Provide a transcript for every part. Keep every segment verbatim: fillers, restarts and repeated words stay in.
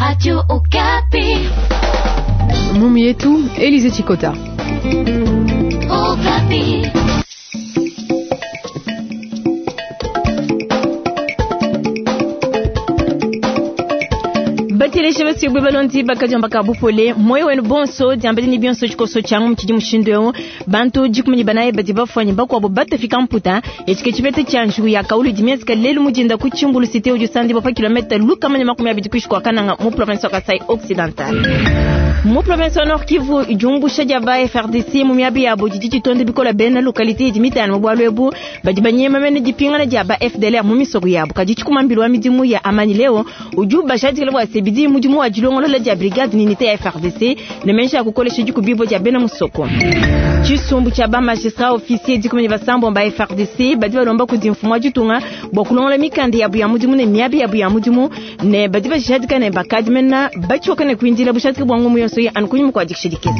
Radio Okapi. Mumi yetu Elize Chikota. Okapi. Bateleshe basibwe balondi bakadiomba ka bupole moyo wenu bonso diambedi ni bionso tshikoso tshiangu mutshidi mushindu eu bantu dikumi ne banayi badi bafuanyi bakuabo batafika mputa etshike tshipete tshia njuku ya kaulu dimienzeka lelu mudinda ku Tshimbulu cité udi usandibwa pa kilomètre lukama ne makumi abidi kuishi kua Kananga mu province wa Kasai Occidental. Mu province wa Nord Kivu diumbusha dia ba F R D C mu miabi yabo didi ditonde bikola bena localité idi mitano mu bualu ebu badi banyema mene dipingana dia ba F D L R mu misoko yabo kadi tshikumambilu wa midimu ya Amani Leo udi ubashadikila bua se bidi mudimu wa dilongolola dia brigade ni unité ya F R D C ne menja ya kukolesha dikubibo dia bena musoko. Tshisumbu tshia ba magistrat officier dikumi ne basambo ba F R D C badi balomba kudi mfumu wa ditunga bua kulongola mikanda yabu ya mudimu ne miabi yabu ya mudimu ne badi bashadika ne bakadi mena batshioka ne kuindila bushadika bua ngumu yonso anu kunyima kua dikishidikisa.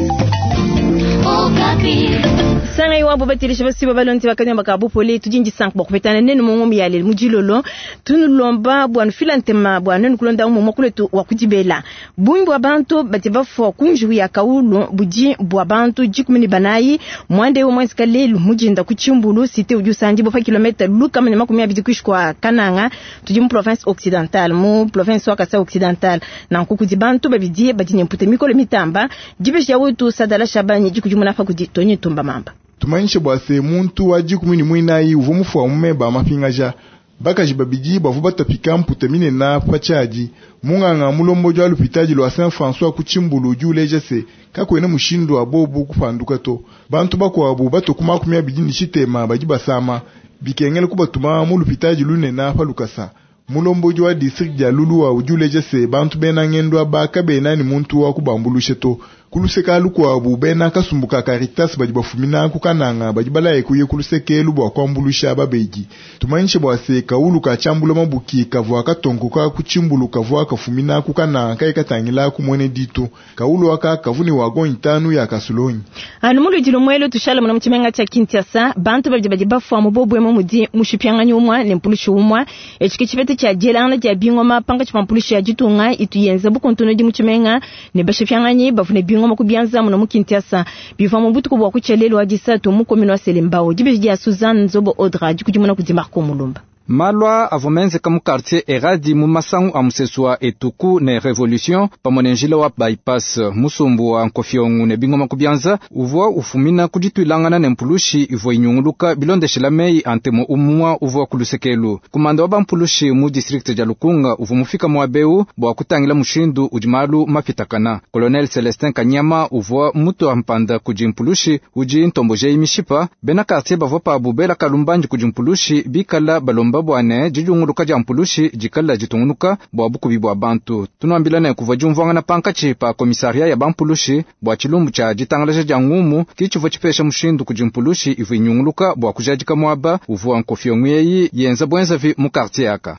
Sanga iwabo batilisha basiba balonzi bakanyamba ka bupole tudindi sank bwa kupetana nenu mungu ya lelu mujilolo tunulomba bwa nufila ntema bwa nenu kulonda umu mwakuletu wa kudibela bungi bwa bantu bati bafwa kunju ya kaulu budi bwa bantu dikumi ne banayi mwande wo mwenzika lelu mujinda ku Tshimbulu cité udi usandi bo pa kilomètre lukama ne makumi abidi kuishi kwa Kananga tudi mu province occidentale mu province wa Kasai occidental na nkuku di bantu babidi badi ne mpute mikolo mitamba dibesha wetu sadala shabani dikudimuna fa kudi tonyi tumba mamba. Tumanyishe bua se muntu wa dikumi ne muinayi uvua mufua mumeba mapingaja bakaji babidi bavua batapika mputa minena pa tshiadi munganga mulombodi wa lupitadi lua Saint François ku Tshimbulu udi uleja se kakuena mushindu wa bobu kupanduka to bantu bakuabu batoku makumi abidi ne tshitema badi basama bikengela kubatuma mu lupitadi lunena pa lukasa. Mulombodi wa district dia Luluwa udi uleja se bantu bena ngendo aba kabena ni muntu wa kubambulushe to kuluseka lukuabu bena kasumbuka Caritas badi bafumina ku Kananga badi balaye kuye kulusekelu bua kuambulusha babedi. Tumanyishe bua se kaulu ka tshiambula mabuki kavua katonkoka ku Tshimbulu kavua kafumina ku Kananga kayi katangila ku mwene ditu kaulu aka kavuni wagon itanu ya kasulonyi. Anu muludi lumwelo tushala muna mutshimenga tshia Kinshasa bantu babidi badi bafua mu bobwe mu mudi mushipianganyi umwa ne mpulushi umwa etshike tshipete tshia dielangana dia bingoma panga tshia mpulushi ya ditunga itu yenza bukontono di mutshimenga ne bashipianganyi bavune bingoma kubianza muno mu Kinshasa bivua mu butuku bua kutshelelo wa disatu mu commune wa Selembao dibeji dia Suzanne Nzobo Audra dikudimuna kudi Marco Mulumba. Malwa avua menzeka mu quartier Eradi mu masangu a musesu wa Etuku ne Revolution pamue ne njila wa bypass musumbu wa Nkofiongu ne bingoma kubianza uvua ufumina kudituilangana ne mpulushi ivua inyunguluka bilondeshela meyi a ntemo umua uvua kulusekelu kumanda wa bampulushi mu district dia Lukunga uvua mufika muabeu bua kutangila mushindu udi malu mapitakana. Colonel Celestin Kanyama uvua mutu wa mpanda kudi mpulushi udi ntombojeyi mishipa bena quartier bavua pabu bela kalumbandi kudi mpulushi bikala balomba bwane dijunguluka dia mpulushi dikala ditungunuka bua bukubi bua bantu. Tunuambila ne kuvua diumvuangana pankatshi pa komisaria ya bampulushi bua tshilumbu tshia ditangalaja dia ngumu kitshivua tshipesha mushindu kudi mpulushi ivua inyunguluka bua kujadika muaba uvua nkofiongo eyi yenza buenzavi mu quartier aka.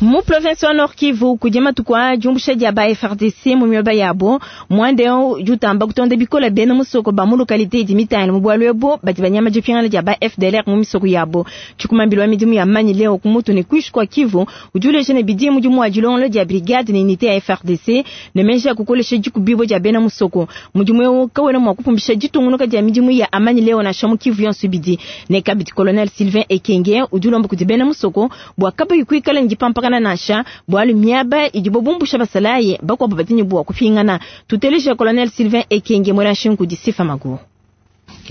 Mu province wa Nord Kivu kudi matuku a diumbusha dia ba F R D C mu mioba yabo mwande jutamba kutonda bikola bena musoko ba mu localité idi mitano mu bualu ebo badi banyama dipingana dia ba F D L R mu misoko yabo tshikumambilo wa midimu ya Amani Leo ku mutu ne kuishi kwa Kivu udi uleja ne bidi mudimu wa dilongolo dia brigade ne unité ya F R D C ne menja ya kukolesha dikubibo dia bena musoko mudimu eu kawena mua kupumbisha ditungunuka dia midimu ya Amani Leo na shamu Kivu yonso bidi ne kabidi colonel Sylvain Ekenge udi ulomba kudi bena musoko bua kabayi kuikala ndipampa kana nasha bwalu miaba idibo bumbusha basalaye bakwabo batinyi bwa kupingana tuteleje colonel Sylvain Ekenge mwera shinku di Sifa Maguru.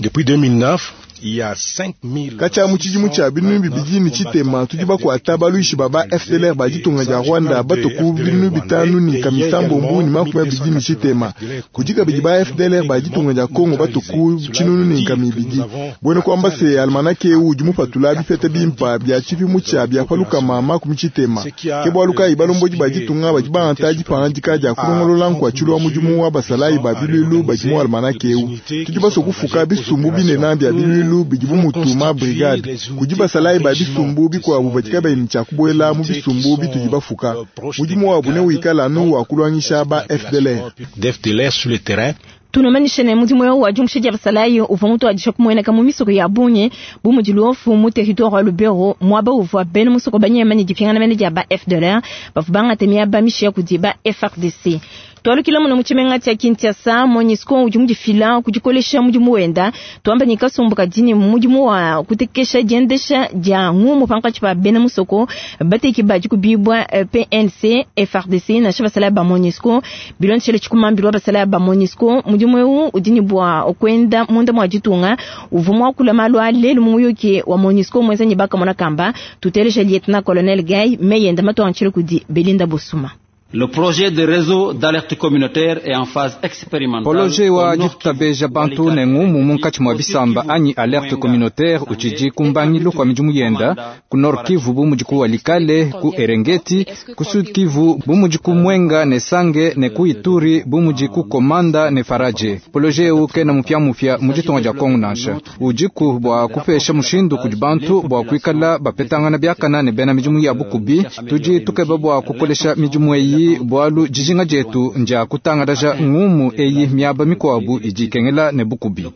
Depuis deux mille neuf, il y a cinq mille Kacha muchijimu cha binu bibidi ni chitema tudi bakwata baluishi baba F D L R baditunga dia Rwanda batoku binu bitanu ni kamisambo mbuni makumi abidi ni chitema kudika bidi ba F D L R baditunga dia Kongo batoku chinunu ni kamibidi bwene kwamba se almanake udi mupatula bipete bimpa bya chipimu cha bya paluka mama kumi chitema ke bwaluka ibalomboji baditunga badi baantaji pangandika dia kulongolola nkwa chilwa mudimu wa basalayi ba bilulu badimu almanake eu tudi basokufuka bisumbu binena bya bilulu bidibu mutuma brigade kudi basalayi ba bisumbu bikuabu batika bayini tshia kubuela mu bisumbu bitudi bafuka mudimu wabu ne wikala anu wa kulwangisha ba F D L R. F D L R sur le terrain. Tunumanyishe ne mudimu eu wa diumbusha dia basalayi uvua mutuadije kumueneka mu misoko ya bungi bu mudi Luofu mu territoire wa Lubero, muaba uvua bena musoko banyema ne dipingana mene dia ba F D L R bavua bangate miaba mishiya kudi ba F A R D C. Twalukila muno mu tshimenga tshia Kinshasa, MONUSCO udi mudifila kudikolesha mudimu wenda, twamba ni kasumbu kadini mudimu wa kutekesha diendesha dia ngumu pankatshi pa bena musoko bateki badi kubibwa P N C F A R D C nansha basalayi ba MONUSCO. Bilondeshele tshikumambilwa basalayi ba MONUSCO, mudimu eu udi ne bua kwenda munda mua ditunga. Uvua muakula malu a lelu mu muyuki wa MONUSCO muenza ne bakamona kamba. Tuteleja lieutenant colonel Gay meyenda matuantshile kudi Belinda Bosuma. Le projet de réseau d'alerte communautaire est en phase expérimentale. Projet wa ditabeja bantu ne ngumu munkatshi mua bisamba anyi alerte communautaire utshidi kumbangilu kwa midimu yenda ku Nord Kivu bu mudi ku Walikale, ku Eringeti, ku Sud Kivu bu mudi ku Mwenga ne Sange ne ku Ituri bu mudi ku Komanda ne Faradje. Projet eu kena mupia-mupia mu ditunga dia Kongo nansha, udiku bua kupesha mushindu kudi bantu bua kuikala bapetangana biakana ne bena midimu ya bukubi. Tudi tukeba bua kukolesha midimu eyi bualu dijinga dietu ndia kutangalaja ngumu eyi miaba mikuabu idi ikengela ne bukubi.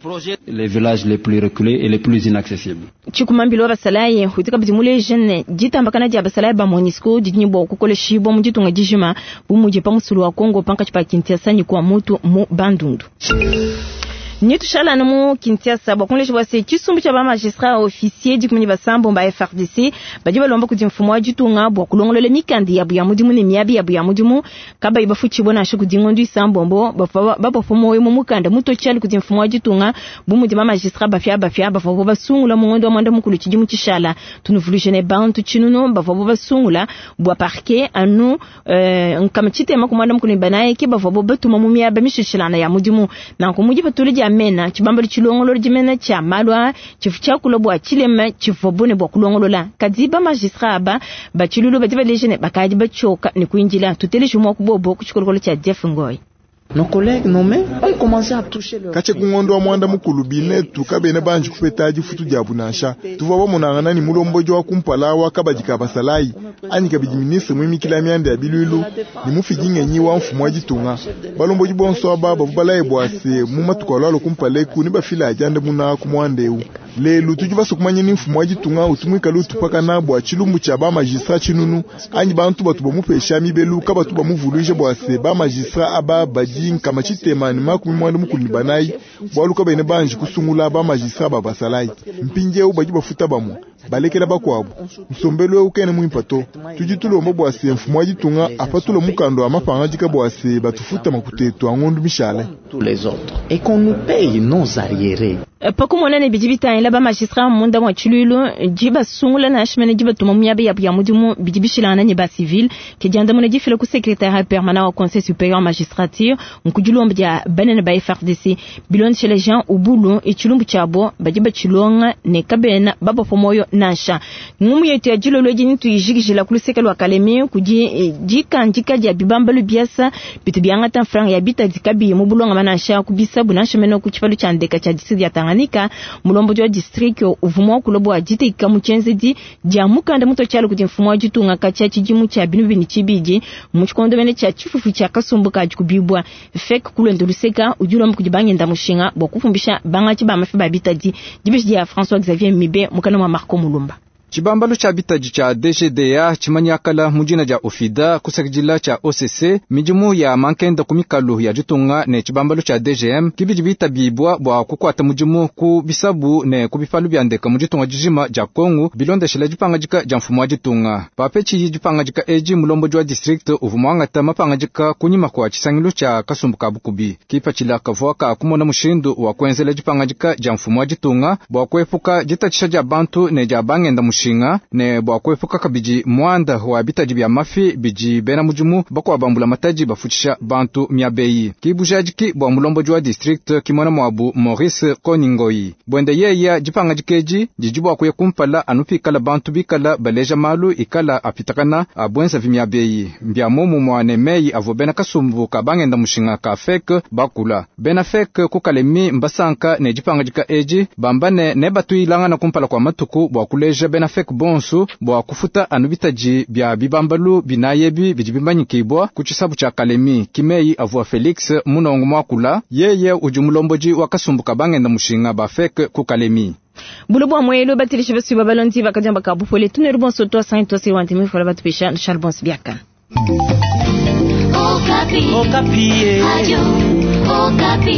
Les villages les plus reculés et les plus inaccessibles. Tshikumambilo wa basalayi udi kabidi muleja ne ditambakana dia basalayi ba MONUSCO didi ne bua kukoleshibua mu ditunga dijima bu mudi pa musulu wa Kongo pankatshi pa Kinshasa ne kwa mutu mu Bandundu. Nitushalana mu Kinshasa bua kunleja bua se tshisumbu tshia bamagistrat officier dikumi ne basambo ba F A R D C badi balomba kudi mfumu wa ditunga bua kulongolola mikanda yabu ya mudimu ne miabi yabu ya mudimu kabayi bafutshibua nansha kudi ngondo isambombo. Bapapa moyo mu mukanda mutotshiali kudi mfumu wa ditunga bu mudi bamagistrat bafia bafia bavua basungula mu ngondo wa mwanda mukulu tshidimu tshishala. Tunuvuluije ne bantu tshinunu bavua basungula bua parquet anu nkama tshitema ku mwanda mukulu ne banayi ke bavua batuma mu miaba mishishilana ya mudimu. Nanku mudi patuli dia mena tshibambalo tshilongololo dimena tshia malu a tshifu tshiakula bua tshilema tshivua bune bua kulongolola kadi bamagistrat aba batshilulu badi baleja ne bakadi batshioka ne kuindila. Tuteleje mua kubobo ku tshikolokolo tshia Jeff Ngoi. Nos collègues nommés ont commencé à toucher leur Katshia ku ngondo wa mwanda mukulu binetu kabena banji kupeta difutu diabu nansha. Tuvua bamonangana ni mulombodi wa kumpala wa kabadi ka basalayi anyi kabidi ministre muimikila mianda ya bilwilu ni mufidi ngenyi wa mfumu wa ditunga. Balombodi bonso aba bavu balaye bua se mu matuku alwalo kumpala eku ni bafila adiande muna ku muanda eu. Lelu tudi basue kumanya ni mfumu wa ditunga utu muikale utupakana bua tshilumbu tshia bamagistrat tshinunu anyi bantu batu bamupesha mibelu kabatu bamuvuluija bua se bamagistrat aba badi nkama tshitema ne makumi mwanda mukulu ne banayi bualu kabene banji kusungula bamagistrat ba basalayi. Mpindieu badi bafuta bamue balekela bakuabu. Nsombelu eu kene muimpa to. Tudi tulomba bua se mfumu wa ditunga apatula mukanda wa mapangadika bua se batufuta makuta etu a ngondu mishale. Tous les autres et qu'on nous paye nos arriérés. Pakumona ne bidi bitangila bamagistrat munda mua tshiluilu di basungula nansha mene di batuma mu miaba yabu ya mudimu bidi bishilangana ne bacivil ke diandamuna difila ku secrétariat permanent wa conseil supérieur magistrature nkudilomba dia banene ba F A R D C. Bilondeshele Jean Ubulu, itshilumbu tshiabo badi batshilonga ne kabena babapa moyo nansha. Ngumu yetu ya dilolo edi nituyijikijila ku luseke lua Kalemi kudi dikandika dia bibambalu biasa bitu biangata franga ya bitadi kabiyi mu bulongama nansha ku bisabu nansha mene ku tshipalu tshia ndeka tshia district ya Tanganyika. Mulombodi wa district uvua muakula bua diteka mu tshienzedi dia mukanda mutotshiala kudi mfumu wa ditunga katshia tshidimu tshia binu bini tshibidi mu tshikondo mene tshia tshifufu tshia kasumbu ka dikubibua FEC. Kulwendo luseka udi ulomba kudi bangenda mushinga bua kufumbisha bangatshi ba mafi ba bitadi. Dibeji dia François Xavier Mibe mukana mwa Marco Mulumba. Tshibambalu tshia bitadi tshia D G D A tshimanyakala mu dina dia OFIDA kusakidila tshia O C C midimu ya mankenda ku mikalu ya ditunga ne tshibambalu tshia D G M kibidi bitabibwa bua kukuata mudimu ku bisabu ne ku bipalu bia ndeka mu ditunga dijima dia Kongo bilondeshela dipangadika dia mfumu wa ditunga. Papetshi dipangadika edi, mulombodi wa district uvua muangata mapangadika kunyima kua tshisangilu tshia kasumbu ka bukubi. Kipatshila kavua ka kumona mushindu wa kuenzela dipangadika dia mfumu wa ditunga bua kuepuka ditatshisha dia bantu ne dia bangenda mushinga ne bua kuepuka kabidi muanda wa bitadi bia mafi bidi bena mudimu bakuabambula matadi bafutshisha bantu miabeyi. Kibujadiki bua mulombodi wa district kimona muabu Maurice Koningoi buende yeya, dipangadika edi didi bua kuya kumpala anu pikala bantu bikala baleja malu ikala apitakana abuenzavi miabeyi. Mbia momumua ne meyi avua bena kasumbu ka bangenda mushinga ka FEC bakula. Bena FEC ku Kalemi mbasanka ne dipangadika edi, bamba ne nebatuilangana kumpala kua matuku bua kuleja bena FEC bonso bua kufuta anu bitaji bia bibambalu binayi ebi bidi bimanyikibwa ku tshisabu tshia Kalemi. Kimei avua Felix Munongo mwakula, yeye udi mulombodi wa kasumbu kabangenda mushinga ba FEC ku Kalemi. Bulu bua mwelo batilisha basu babalondi bakajamba kabupole tuneru bonso twa cinq twa cinquante mille fola batupesha Charles Bons biaka. Okapi. Okapi. Radio Okapi.